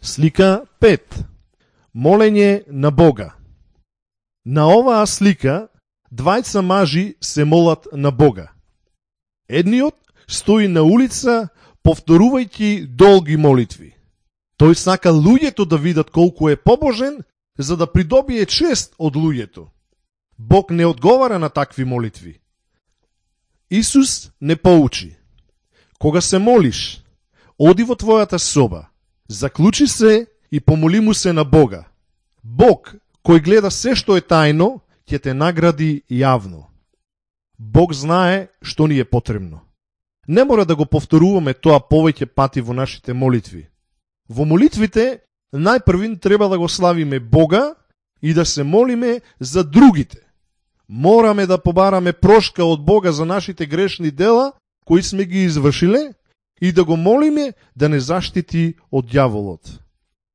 Слика 5. Молење на Бога. На оваа слика двајца мажи се молат на Бога. Едниот стои на улица повторувајќи долги молитви. Тој сака луѓето да видат колку е побожен, за да придобие чест од луѓето. Бог не одговара на такви молитви. Исус не поучи: кога се молиш, оди во твојата соба, заклучи се и помоли му се на Бога. Бог, кој гледа се што е тајно, ќе те награди јавно. Бог знае што ни е потребно. Не мора да го повторуваме тоа повеќе пати во нашите молитви. Во молитвите најпрвин треба да го славиме Бога и да се молиме за другите. Мораме да побараме прошка од Бога за нашите грешни дела кои сме ги извршиле и да го молиме да не заштити од ѓаволот.